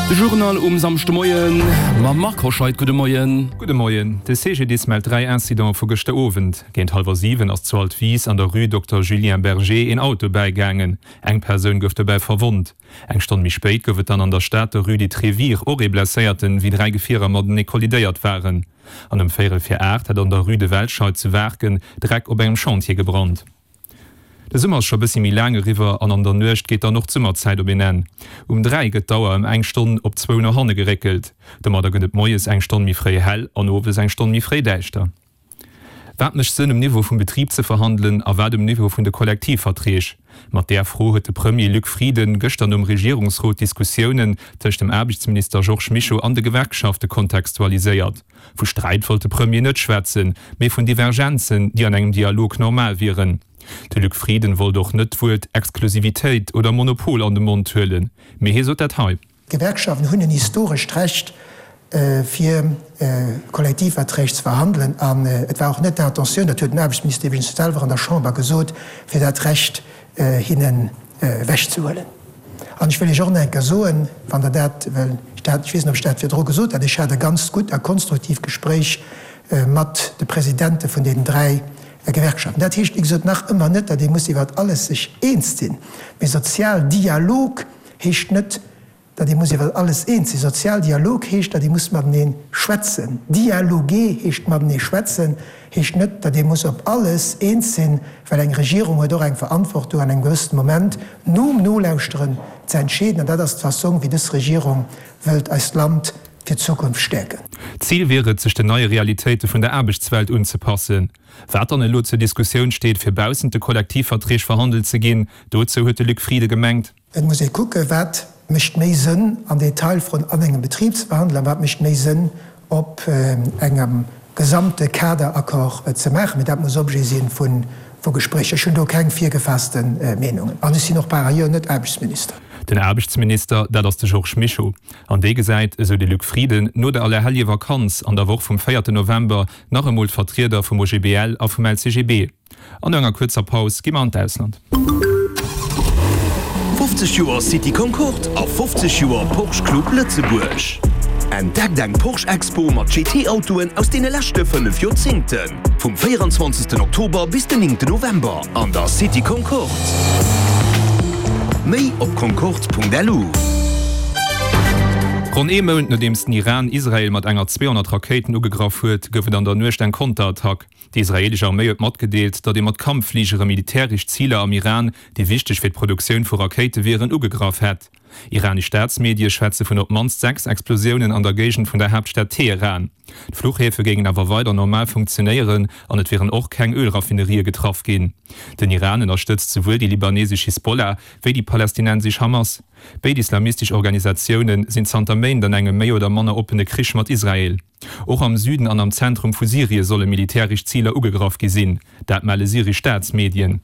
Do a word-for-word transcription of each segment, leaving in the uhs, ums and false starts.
De Journal um Samschdemoien mam Marc Hoscheid. Gudde Moien. Gudde Moien. De C G D I S mellt dräi Incidente vu gëschter Owend. Géint hallwer siwen ass zu Altwis an der Rue Dokter Julien Berger een Auto bäigaangen. Eng Persoun gouf dobäi verwonnt. Eng Stonn méi spéit gouf et dann an der Stad der Rue des Trévires och ee Blesséierten, wéi dräi Gefierer matenee kollidéiert waren. An ëm véierel vir aacht hat an der Rue de Welscheid zu Waarken Dreck op engem Chantier gebrannt. De Summer ass scho bëssi méi laang eriwwer an an der Nuecht geet dann och d'Summerzäit op een Enn. Um dräi gëtt d'Auer ëm eng Stonn op zwou no hanne geréckelt. Domadder gëtt et moies eng Stonn méi fréi hell an owes eng Stonn méi fréi däischter. Wat mécht Sënn um Niveau vum Betrib ze verhandelen a wat um Niveau vun de Kollektivverträg? Mat där Fro huet de Premier Luc Frieden gëschter nom Regierungsrot d'Diskussiounen tëscht dem Aarbechtsminister Georges Mischo an de Gewerkschafte kontextualiséiert. Vu Sträit wollt de Premier net schwätzen, mee vun Divergenzen, déi an engem Dialog normal wieren. De Luc Frieden wollt och net d'Wuert Exklusivitéit oder Monopol an de Mond huelen, mee hie sot dat hei. D'Gewerkschaften hunn en historescht Recht, fir Kollektivverträg ze verhandelen an et war och net d'Intentioun, dat huet den Aarbechtsminister iwwregens selwer an der Chamber gesot, fir dat Recht hinnen ewechzehuelen. An ech wëll Iech och nach eng Kéier soen, wann Der dat, well ech dat, ech weess net, ob ech dat virdru gesot hat, ech hat e ganz gutt a konstruktiivt Gespréich mat de Presidente vun deenen dräi Gewerkschaften. Dat heescht, wéi gesot, nach ëmmer net, datt ee muss iwwert alles sech eens sinn. Mee Sozialdialog heescht net, datt ee muss iwwer alles eens sinn. Sozialdialog heescht, datt ee muss matenee schwätzen. Dialoguer heescht matenee schwätzen, heescht net, datt ee muss op alles eens sinn, well eng Regierung huet och eng Verantwortung an engem gewëssene Moment nom Nolauschteren ze entscheeden. An dat ass d'Fassong, wéi dës Regierung wëllt eist Land fir d'Zukunft stäerken. Zil wier et, sech den neie Realitéite vun der Aarbechtswelt unzepassen. Wat dann elo zur Diskussioun steet, fir baussent de Kollektivverträg verhandelt ze ginn, dozou huet de Luc Frieden gemengt. Et muss ee kucken, wat mécht méi Sënn an Detailfroen an engem Betrib ze verhandelen a wat mécht méi Sënn op engem gesamte Kaderaccord ze maachen. Mee dat muss Objet si vu Gespréicher. Ech hunn do keng virgefaasste Meenungen an ech sinn och par ailleurs net Aarbechtsminister. Den Aarbechtsminister, dat ass de Georges Mischo. An dee gesäit, esou de Luc Frieden, no der Allerhelljevakanz an der Woch vum véierten November nach emol d'Vertrieder vum O G B L a vum L C G B. An no enger kuerzer Paus gi mer an d'Ausland. fofzeg Joer City Concorde a fofzeg Joer Porsche Club Lëtzebuerg. Entdeckt eng Porsche Expo mat G T-Autoen aus deene leschte fënnef Joerzéngten. Vum véierenzwanzegsten Oktober bis den néngten November an der City Concorde. Méi op concorde Punkt L U. Ronn ee Mount nodeems den Iran Israel mat enger zweehonnert Rakéiten ugegraff huet, gouf et an der Nuecht eng Konterattack. Déi israeelesch Arméi huet matgedeelt, datt ee mat Kampffligere militäresch Ziler am Iran, déi wichteg fir d'Produktioun vu Rakéite wieren, ugegraff hätt. Iranesch Staatsmedie schwätze vun op d'mannst sechs Explosiounen an der Géigend vun der Haaptstad Teheran. D'Fluchhäfe géingen awer weider normal funktionéieren an et wieren och keng Ölraffinerië getraff ginn. Den Iran ënnerstëtzt souwuel déi libanesesch Hisbollah wéi déi palästinensesch Hamas. Béid islamistesch Organisatioune sinn zanter Méint an engem méi oder manner oppene Krich mat Israel. Och am Süden an am Zentrum vu Syrie solle militäresch Ziler ugegraff gi sinn, dat melle syresch Staatsmedien.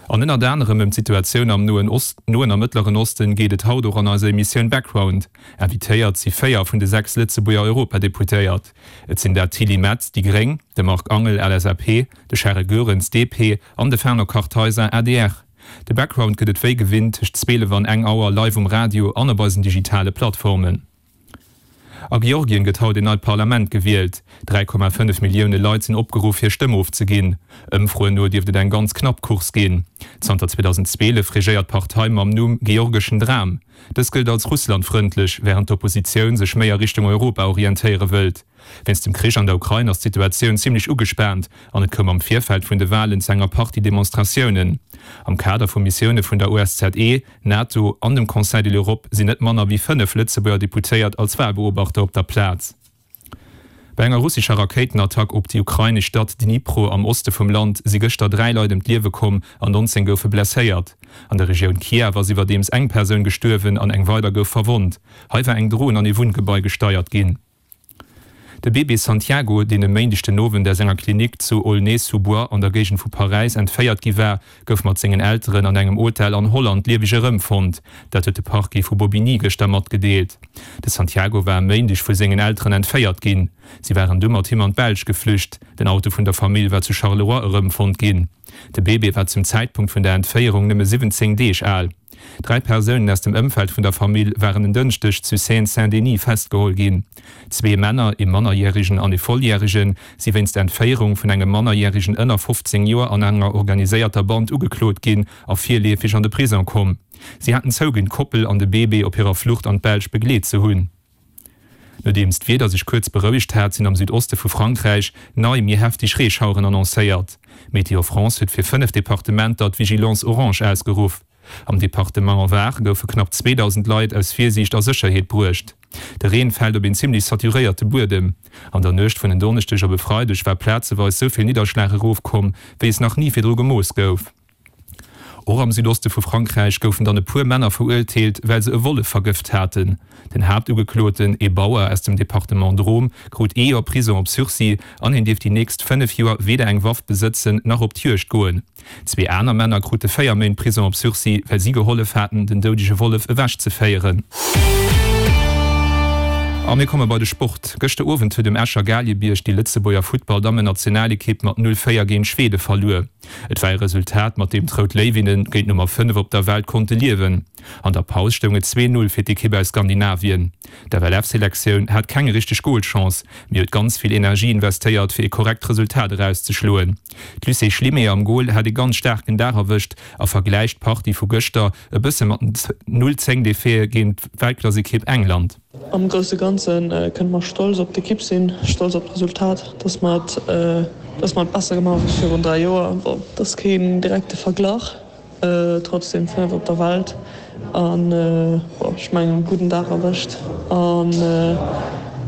An ënnert anerem ëm d'Situatioun am Noen Ost, Noen a Mëttleren Osten geet et haut och an eiser Emissioun Background. Invitéiert si véier vun de sechs Lëtzebuerger Europadeputéiert. Et sinn dat d'Tilly Metz, déi Gréng, de Marc Angel, L S A P, de Charel Goerens, D P, an de Fernand Kartheiser, A D R. De Background gëtt et wéi gewinnt tëscht zwielef an eng Auer live um Radio an op eisen digitale Plattformen. A Georgien gëtt haut een neit Parlament gewielt. dräi Komma fënnef Millioune Leit sinn opgeruff hir Stëmm ofzeginn. Ëmfroen no dierft et eng ganz knapp Course ginn. Zanter zweedausendzwielef regéiert d'Partei mam Numm Georgeschen Dram. Dës gëllt als russlandfrëndlech, wärend d'Oppositioun sech méi a Richtung Europa orientéiere wëllt. Wéinst dem Krich an der Ukrain ass d'Situatioun zimmlech ugespaant an et koum am Virfeld vun de Walen zu enger Partie Demonstratiounen. Am Kader vu Missioune vun der O S Z E, NATO an dem Conseil de l'Europe sinn net manner wéi fënnef Lëtzebuerger Deputéiert als Walbeobachter op der Plaz. Bei enger russescher Rakéitenattack op déi ukrainesch Stad Dnipro am Oste vum Land si gëschter dräi Leit ëm d'Liewe komm an nonzéng goufe blesséiert. An der Regioun Kiew ass iwwerdeems eng Persoun gestuerwen an eng weider gouf verwonnt. Hei war eng Dron an ee Wunngebai gesteiert ginn. De Bébé Santiago, deen e Méindeg den Owend aus enger Klinik zu Aulnay-sous-Bois an der Géigend vu Paräis entféiert gi war, gouf mat sengen Elteren an engem Hotel an Holland lieweg erëmfonnt. Dat huet de Parquet vu Bobigny gëschter matgedeelt. De Santiago war e Méindeg vu sengen Elteren entféiert ginn. Si waren du mat him an d'Belsch geflücht. Den Auto vun der Famill war zu Charleroi erëmfonnt ginn. De Bébé war zum Zäitpunkt vun der Entféierung nëmme siwwenzéng Deeg al. Dräi Persounen aus dem Ëmfeld vun der Famill waren en Dënschdeg zu Seine-Saint-Denis festgeholl ginn. Zwee Männer, ee Mannerjäregen an ee Volljäregen, si wéinst Entféierung vun engem Mannerjäregen ënner fofzéng Joer an enger organiséierter Band ugeklot ginn a virleefeg an de Prisong komm. Si haten zouginn, d'Koppel an de Bébé op hirer Flucht an d'Belsch begleet ze hunn. Nodeems d'Wieder sech kuerz berouegt hat, sinn am Südoste vu Frankräich nei, méi hefteg Reeschaueren annoncéiert. Météo France huet fir fënnef Departementer d'Vigilance orange ausgeruff. Am Departement Var goufe knapp zweedausend Leit aus Virsiicht a Sécherheet bruecht. De Reen fält op een zimmlech saturéierte Buedem. An der Nuecht vun en Donneschdeg op e Freideg war plazeweis sou vill Nidderschlag erofkomm, wéi es nach ni virdru gemooss gouf. Och am Südoste vu Frankräich goufen dann e puer Männer verurteelt, well se e Wollef vergëft haten. Den Haaptugekloten, ee Bauer aus dem Departement Drôme, krut ee Joer Prisong op Sursis an hien dierf déi nächst fënnef Joer weder eng Waff besëtzen nach op d'Juegd goen. Zwee aner Männer krute véier Méint Prisong op Sursis, well si gehollef haten, den doudege Wollef ewechzeféieren. A mir komme bei de Sport. Gëschter Owend huet um Escher Galiebierg déi Lëtzebuerger Futtball-Dammennationalekipp mat null véier géint Schwede verluer. Et war e Resultat, mat deem d'Rout Léiwinnen géint d'Nummer fënnef op der Welt konnte liewen. An der Paus stoung et zwee Null fir d'Ekipp aus Skandinavien. D'FLF-Selektioun hat keng richteg Golchance, mee huet ganz vill Energie investéiert, fir e korrekt Resultat erauszeschloen. D'Lucie Schlimé am Gol hat e ganz staarken Dag erwëscht a vergläicht d'Partie vu gëschter e bësse mat den Null zéng Defaitë géint d'Weltklassekipp England. Am grousse Ganze kënne mer stolz op d'Ekipp sinn, stolz op d'Resultat, dass mer et dass mer et besser gemaach hu wéi virun dräi Joer. Bon, et ass keen direkte Verglach, trotzdem fënnef op der Welt an bon, ech mengen e gudden Dag erwëscht an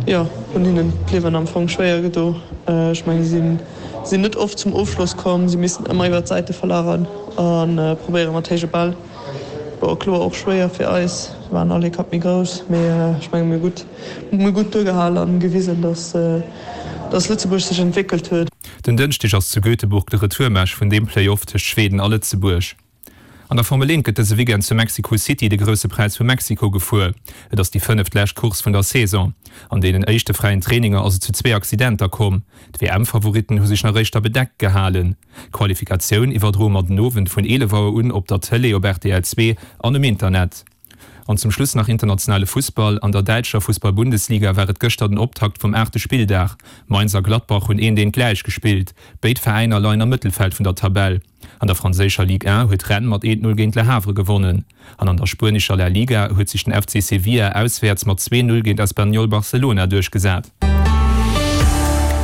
jo, hunn hinnen d'Liewen am Fong schwéier gedo. Ech mengen si sinn net oft zum Ofschloss komm, si missten ëmmer iwwer d'Säite verlagern a probéiere mat héije Bäll. Bon, kloer och schwéier fir eis, se waren all ee Kapp méi grouss, mee ech menge mir hu gutt, mir hu gutt duergehal an gewisen, dass, dass Lëtzebuerg sech entwéckelt huet. Den Dënschdeg ass zu Göteborg de Retourmatch vun deem Play-Off tëscht Schweden a Lëtzebuerg. An der Formel eent gëtt dëse Weekend zu Mexico City de Grousse Präis vu Mexiko gefuer. Et ass déi fënneft lescht Course vun der Saison. An deenen éischte fräien Traininger ass et zu zwee Accidenter komm. D'WM-Favoritten hu sech nach éischter bedeckt gehalen. D'Qualifikatioun iwwerdroe mer den Owend vun eelef Auer un op der Tëlee op rtl zwee an um Internet. An zum Schluss nach internationale Fussball, An der däitscher Fussball-Bundesliga war et gëschter den Optakt vum aachte Spilldag. Mainz a Gladbach hunn eent eent gläich gespillt. Béid Veräiner leien am Mëttelfeld vun der Tabell. An der franséischer Ligue un huet Rennes mat eent Null géint Le Havre gewonnen. An an der spuenescher La Liga huet sech den F C Sevilla auswäerts mat zwee Null géint Espanyol Barcelona duerchgesat.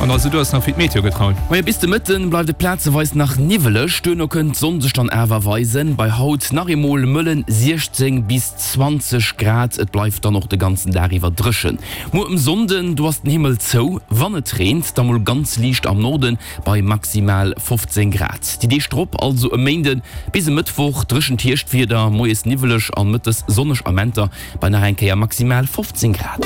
An also du ass nach fir d'Meteo gëtt, Raoul. Moie, bis de Mëtten bleift et plazeweis nach niwweleg, duerno kënnt d'Sonn sech dann awer weisen. Bei haut nach eemol mëllen siechzéng bis zwanzeg Grad, et bleift dann och de ganzen Dag iwwer dréchen. Muer um Sonnden, do ass den Himmel zou, wann et reent, da mol ganz liicht am Norden bei maximal fofzéng Grad. Déi Deeg drop, also e Méinden bis e Mëttwoch, dréchent Hierschtwieder, moies niwweleg an mëttes sonneg Amenter bei nach eng Kéier maximal fofzéng Grad.